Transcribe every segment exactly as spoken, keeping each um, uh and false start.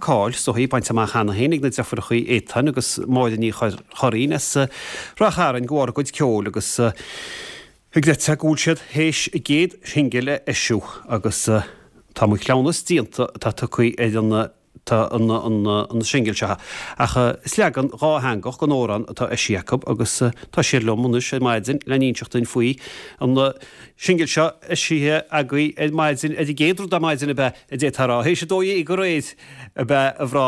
cáil is dóichí bainte amach cheana féin ag na deirfiúracha Étáin agus Máire Ní Churraoin as Ráth Chairn de bharr a gcuid ceoil agus ag deirtear go bhfuil siad théis a gcéad shingil a eisiú agus Tá Mo Chleamhnas Déanta atá tugtha ar an tá an an an singil seo. Ach is leagan dhátheangach den amhrán atá eisithe acu agus tá siad liom anois ar maidin le n-inseacht dúinn faoi an singil seo eisithe agaibh ar maidin ar an gcéad rud ar maidin ab ea a d'fhéadfá a rá. Théis a dó dhéag aréir ab ea a mhná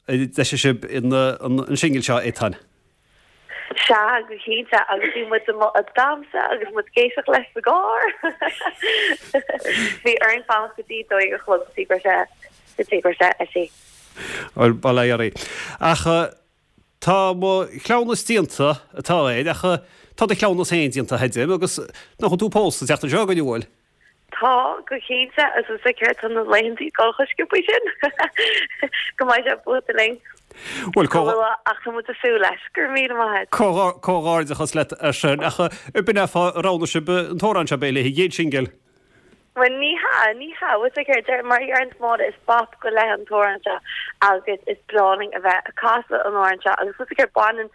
a d'eisigh sibh an an singil seo, Étáin. Sea, go cinnte, agus bhí muid amuigh ag damhsa agus muid ag éisteacht leis sa gcarr. Bhí orainn fanacht go dtí dó dhéag a chlog go dtí go raibh sé, go dtí go raibh sé eisithe. Bhuel, bail ó Dhia oraibh. Ach tá mo chleamhnas déanta atá air, ach tá do chleamhnas féin déanta, a Fheidhm, agus nach bhfuil tú pósta an tseachtain seo chugainn, an bhfuil? Tá, go cinnte, agus is céard tá na laethantaí ag dul chomh sciobtha sin go mbeidh sé buailte linn Bhuel, chomh luath ach tá muid ag súil leis. Go raibh míle maith agat. Comhghairdeachas leat ar sin. Ach b'in é fáth ar roghnaigh sibh an t-amhrán seo, b'é le haghaidh an chéad singil. Bhuel, ní hea, ní hea. Bhuel, is céard, mar a deireann Máire, is bop go leith an t-amhrán seo agus is breá linn a bheith ag casadh an amhráin seo agus is céard, baineann,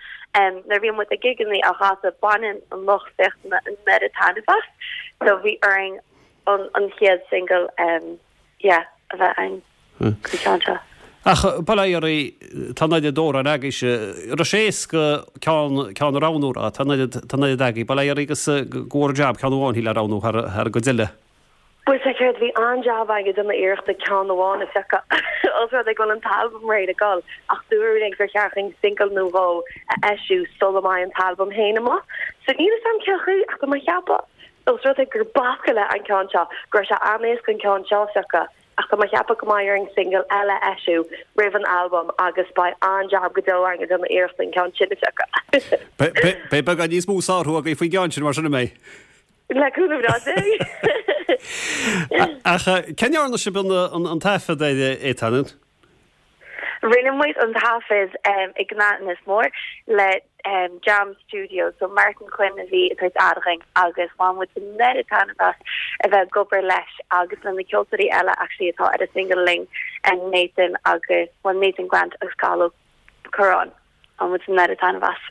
nuair a bhíonn muid ag gigeanna á chasadh, baineann an lucht féachana an oiread taitneamh as. So bhí orainn an an chéad single yeah a bheith againn an ceann seo. Ach bail ó Dhia oraibh, tá an oiread amhrán agaibhse, raibh sé éasca ceann ceann a roghnú, raibh, tá an oiread tá an oiread agaibh, bail ó Dhia oraibh agus go bhfuair jab ceann amháin le roghnú thar thar an gcuid eile. Bhuel sea céard, bhí an-jab againn ag déanamh iarrachta ceann amháin a phiocadh, os rud é go bhfuil an t-albam réidh le dhul, ach dúradh linn gur cheart dúinn single nó dhó a eisiú sula mbeidh an t-albam féin amuigh. So níl 'fhios a'm cén chaoi ach tá mé ag ceapadh, os rud é gur bop go leith an ceann seo, go raibh sé an-éasca an ceann seo a phiocadh, ach tá mé ag ceapadh go mbeidh orainn single eile a eisiú roimh an albam agus beidh an-jab go deo againn ag déanamh iarrachta an ceann sin a phiocadh. Beidh beagán níos mó sárú agaibh faoin gceann sin mar sin an mbeidh? Le cúnamh breá Dé. Ach cá ndearna sibh an taifead air, Étáin? Rinne muid an taifead i gCnoc Inis Mór le Jam Studios, so Martin Quinn a bhí ag tabhairt aire dhúinn agus bhain muid an oiread taitneamh as a bheith ag obair leis agus le na ceoltóirí eile actually atá ar an single linn, Nathan agus, well Nathan Grant agus Cathal Ó Curráin. Bhain muid an oiread taitneamh as.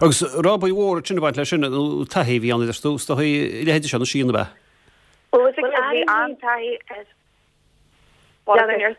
Agus raibh obair mhór ansin ag baint leis sin, nó taithí a bhí ann, a deir tú, is dóigh, a leithéid seo na síonna ab ea? Bhuel, bhí an-taithí ar Bhuel,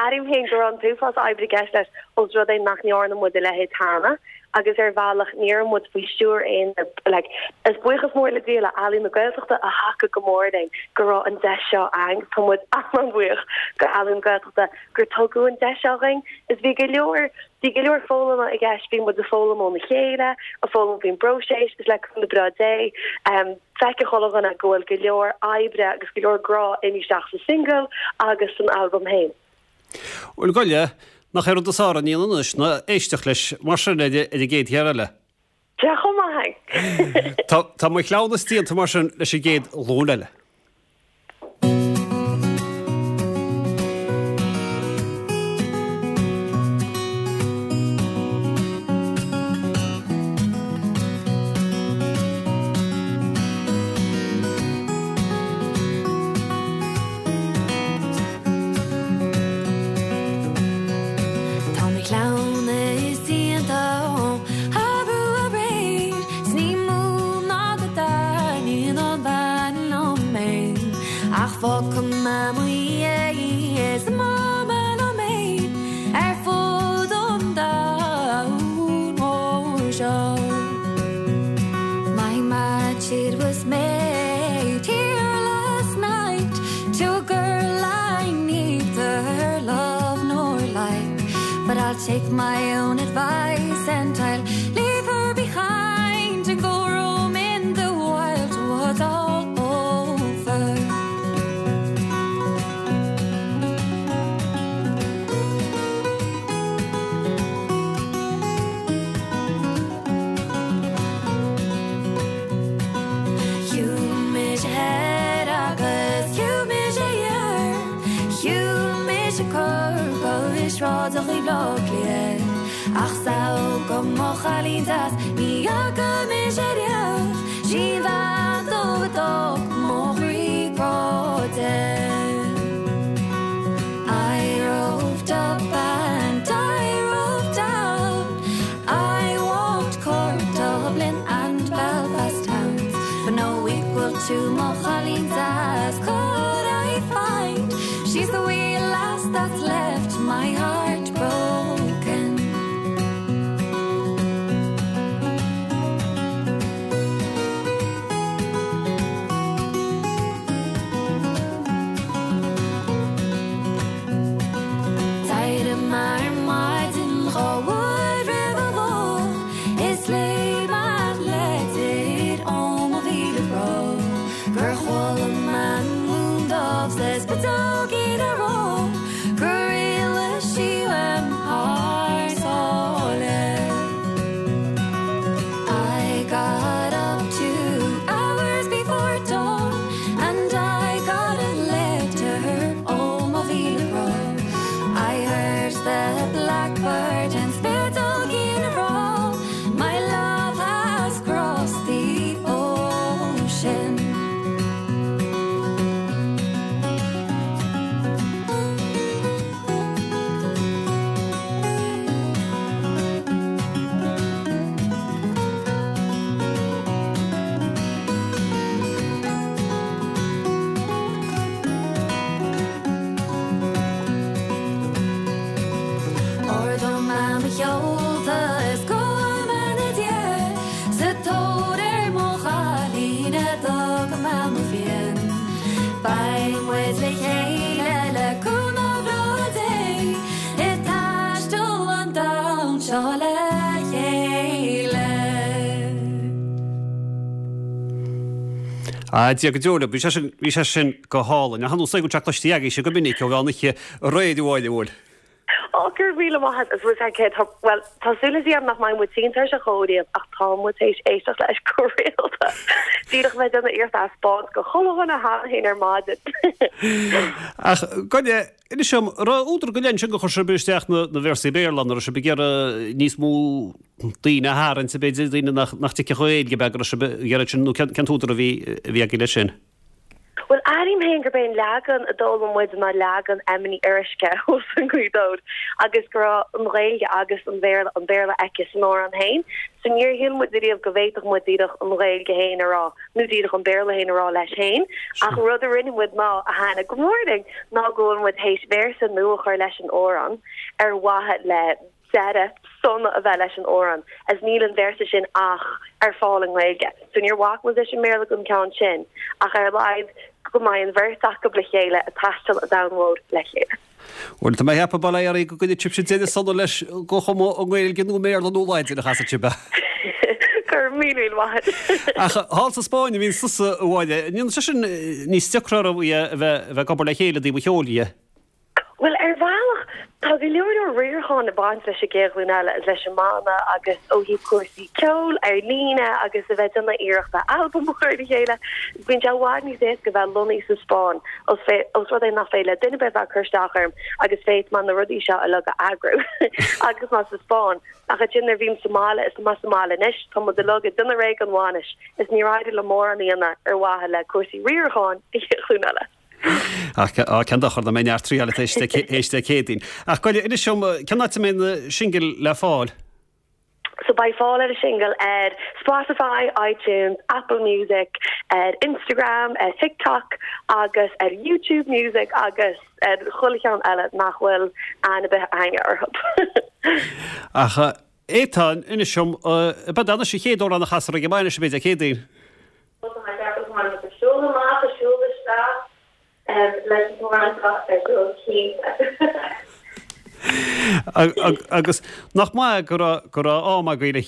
airím féin go raibh an t-uafás oibre i gceist leis, ós rud é nach ndearna muid a leithéid cheana, agus ar bhealach ní raibh muid faoi stiúir aon like is buíochas mór le Dia le Ealaín na Gaeltachta a thacaigh go mór linn go raibh an deis seo againn. Tá muid an-bhuíoch go Ealaín na Gaeltachta gur tugadh an deis seo dhúinn. Is bhí go leor, bhí go leor foghlama i gceist, bhí muid ag foghlaim óna chéile, ag foghlaim faoin bpróiseas, is le cúnamh breá Dé, feiceann chuile dhuine go bhfuil go leor oibre agus go leor grá imithe isteach sa single agus san albam féin. Bhuel, gabh i leith, nach é an rud is fearr a dhéanamh anois ná éisteacht leis mar sin ar an gcéad cheann eile. Tá chomh maith. Tá mo chleamhnas déanta mar sin leis an gcéad ghlúin eile. Tá mo chleamhnas déanta arú aréir 's ní mó ná go dtaitníonn an bhean liom é ach fágfaidh mé mo dhiaidh is imeoidh mé liom fhéin ar fud an domhain mhóir seo. My match it was made here last night to a girl I neither love nor like but I'll take my own advice and I'll leave her behind and go roaming the wild woods all over. Shiúil mise thoir agus shiúil mise thiar, Shiúil mise Corcaigh is sráideachaí Bhaile Átha Cliath, Ach 's amhail go mo chailín deas ní fhaca mise riamh, 'Sí an bhean dubh a d'fhág mo chroí cráite. the wee lass that's left my heart broken. D'éirigh mé ar maidin dhá uair roimh a dó is léigh mé litir ó mo mhíle bhró gur chuala mé an mún dubh 's na spiteogaí ag rá gur éalaigh sí uaim thar sáile. I got up two hours before dawn and I got a letter ó mo mhíle bhró. I heard the blackbird and spiteogaí ag rá my love has crossed the ocean. Ardóidh mé mo sheolta is gabhfaidh mé ina diaidh sa tóir ar mo chailín a d'fhág mé mo phian. Beidh muid le chéile le cúnamh breá Dé ag taisteal an domhain seo le chéile. A Dia go deo libh, bhí sé sin bhí sé sin go hálainn. Ach an úsáid go teach cloistí agaibhse go minic ó bheith an oíche aréir a bhfuil. Ó gur mhíle maith is bhfuil cé well tá súil agam nach mbeidh muid tinn tar se chóíh ach tá muid théis éisteacht leis go rialta. Díreach bheith déanamh iarracht a spáint go chuile dhuine cheana ar maidin. Ach goile inis dom raibh údar go leith ansin gur chuir sibh isteach na na véarsaí Béarla nó raibh sibh ag iarraidh níos mó daoine a tharraingt b'fhéidir daoine nach nach dtuigfeadh Gaeilge b'fhéidir go raibh sibh ag iarraidh sin nó cén cén t-údar a bhí a bhí agaibh leis sin. Well airím féin gurb é an leagan a d'fhoghlaim muid ná leagan Emma Ní Fhuaruisce os an Ghaoth Dobhair agus go raibh an Ghaeilge agus an Bhéarla an Béarla aici san amhrán féin. So níor shíl muid riamh go bhféadfadh muid díreach an Ghaeilge féin a rá nó díreach an Béarla féin a rá leis féin ach rud a rinne muid ná a tháinig go mór linn ná go bhfuil muid théis véarsa nua a chur leis an amhrán ar mhaithe le deireadh sona a bheith leis an amhrán as níl an véarsa sin ach ar fáil i nGaeilge. So níor bhac muid leis an mBéarla don ceann sin ach ar a laghad go mbeidh an bheirt acu le chéile ag taisteal an domhain mhór le chéile. Bhuel tá mé ag ceapadh bail ó Dhia oraibh go gcoinneoidh sibhse deireadh sona leis go cuma i nGaeilge nó i mBéarla nó Laidin a chasfaidh sibh é. Go raibh míle míle maith. Ach thall sa Spáinn a bhíonn tusa a Mháire, an ndéanann sé sin níos deacra oraibh a bheith a bheith ag obair le chéile i dtaobh an cheoil dhe? Well ar bhealach tá go leor leor riaracháin ag baint leis an gcéad ghlúin eile leis an mbanna agus ó thaobh cúrsaí ceoil ar líne agus a bheith ag déanamh iarrachta albam a chur le chéile. Bíonn sé i bhfad níos éasca bheith lonnaithe sa Spáinn os fé os rud é nach féidir le duine ar bith bheith ag cur isteach orm agus féadfaidh mé na rudaí seo uilig a eagrú agus mé sa Spáinn. Ach ansin nuair a bhím sa mbaile is mé sa mbaile anois tá muid uilig ag déanamh réidh don bhainis is níor éirigh liom mórán a dhéanamh ar mhaithe le cúrsaí riaracháin an chéad ghlúin eile. Ach cén dochar dá mbeidh neart triail théis Dé Céadaoin. Ach goile, inis dom, cén áit a mbeidh na singil le fáil? So beidh fáil ar an singil ar Spotify, iTunes, Apple Music, ar Instagram, ar TikTok agus ar YouTube Music agus ar chuile cheann eile nach bhfuil aithne ar bith againne orthu. Ach Étáin, inis dom, ab é anois an chéad amhrán a chasfar ag an mbainis b'fhéidir Dé Céadaoin? Siúl amach, siúl isteach leis an amhrán seo ar siúl cinnte. Agus nach maith go raibh go raibh am agaibh le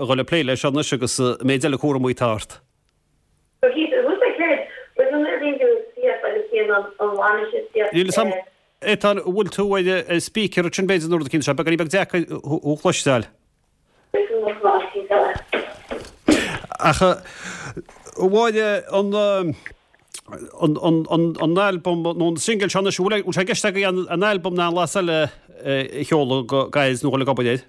dhul ag plé leis anois agus méid eile cúramaí atá ort. So cinnte, who's that kid? Was an bhíonn tú síos agus bíonn an an bhainis síos Níl a fhios agam, Étáin, an bhfuil tú ar speaker ansin b'fhéidir nó rud eicínt, sé beagáinín beag deacair thú a chloisteáil. Ach a Mháire, an an albam nó an singil seo anois, bhfuil sé i gceist agaibh an albam ná an Las Eile a sheoladh go gairid nó dhul ag obair air?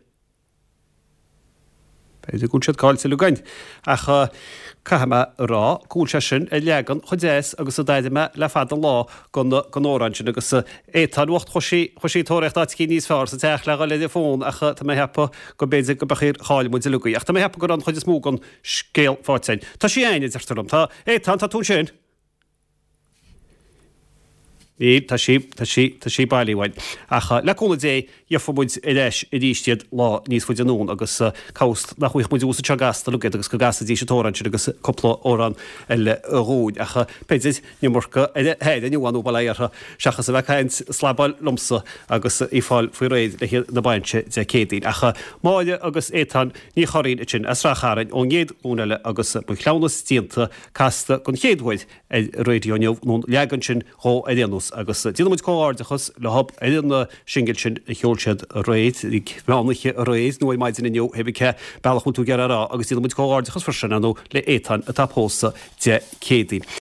B'fhéidir go bhfuil siad caillte againn. Ach caithfidh mé a rá go bhfuil sé sin ar leagan chomh deas agus a d'airigh mé le fada an lá den amhrán sin agus Étáin bhocht chuaigh sí chuaigh sí ag tóraíocht áit eicínt níos fearr sa teach le dhul ar an bhfón ach tá mé ag ceapadh go mb'fhéidir go b'fhéidir chaill muid uilig í. Ach tá mé ag ceapadh go raibh an chuid is mó den scéal faighte againn. Tá sí againn, a deirtear liom. Tá Étáin, tá tú ansin? Níl, tá sí, tá sí, tá sí bailí uainn. Ach le cúnamh Dé, gheofa muid ar ais arís iad lá níos faide anonn agus cá bhfios nach bhfaighidh muid abhus anseo gasta iad agus go gcasfaidís an t-amhrán sin agus cúpla amhrán eile dhúinn. Ach b'fhéidir an iomarca ar a haire inniu nó bail ó Dhia orthu seachas a bheith ag caint slabáil liomsa agus í fáil faoi réir le haghaidh na bainse Dé Céadaoin. Ach Máire agus Étáin Ní Churraoin ansin as Ráth Chairn ón gcéad ghlúin eile agus Mo Chleamhnas Déanta casta den chéad uair ar an raidió inniu, nó an leagan sin dhó ar aon nós, agus déanann muid comhghairdeachas leo ar an singil sin a sheol siad aréir, ag meán oíche aréir nó ar maidin inniu, pé cén bealach a bhfuil tú ag iarraidh a rá, agus déanann muid comhghairdeachas freisin, ar ndóigh, le Étáin atá ag pósadh Dé Céadaoin.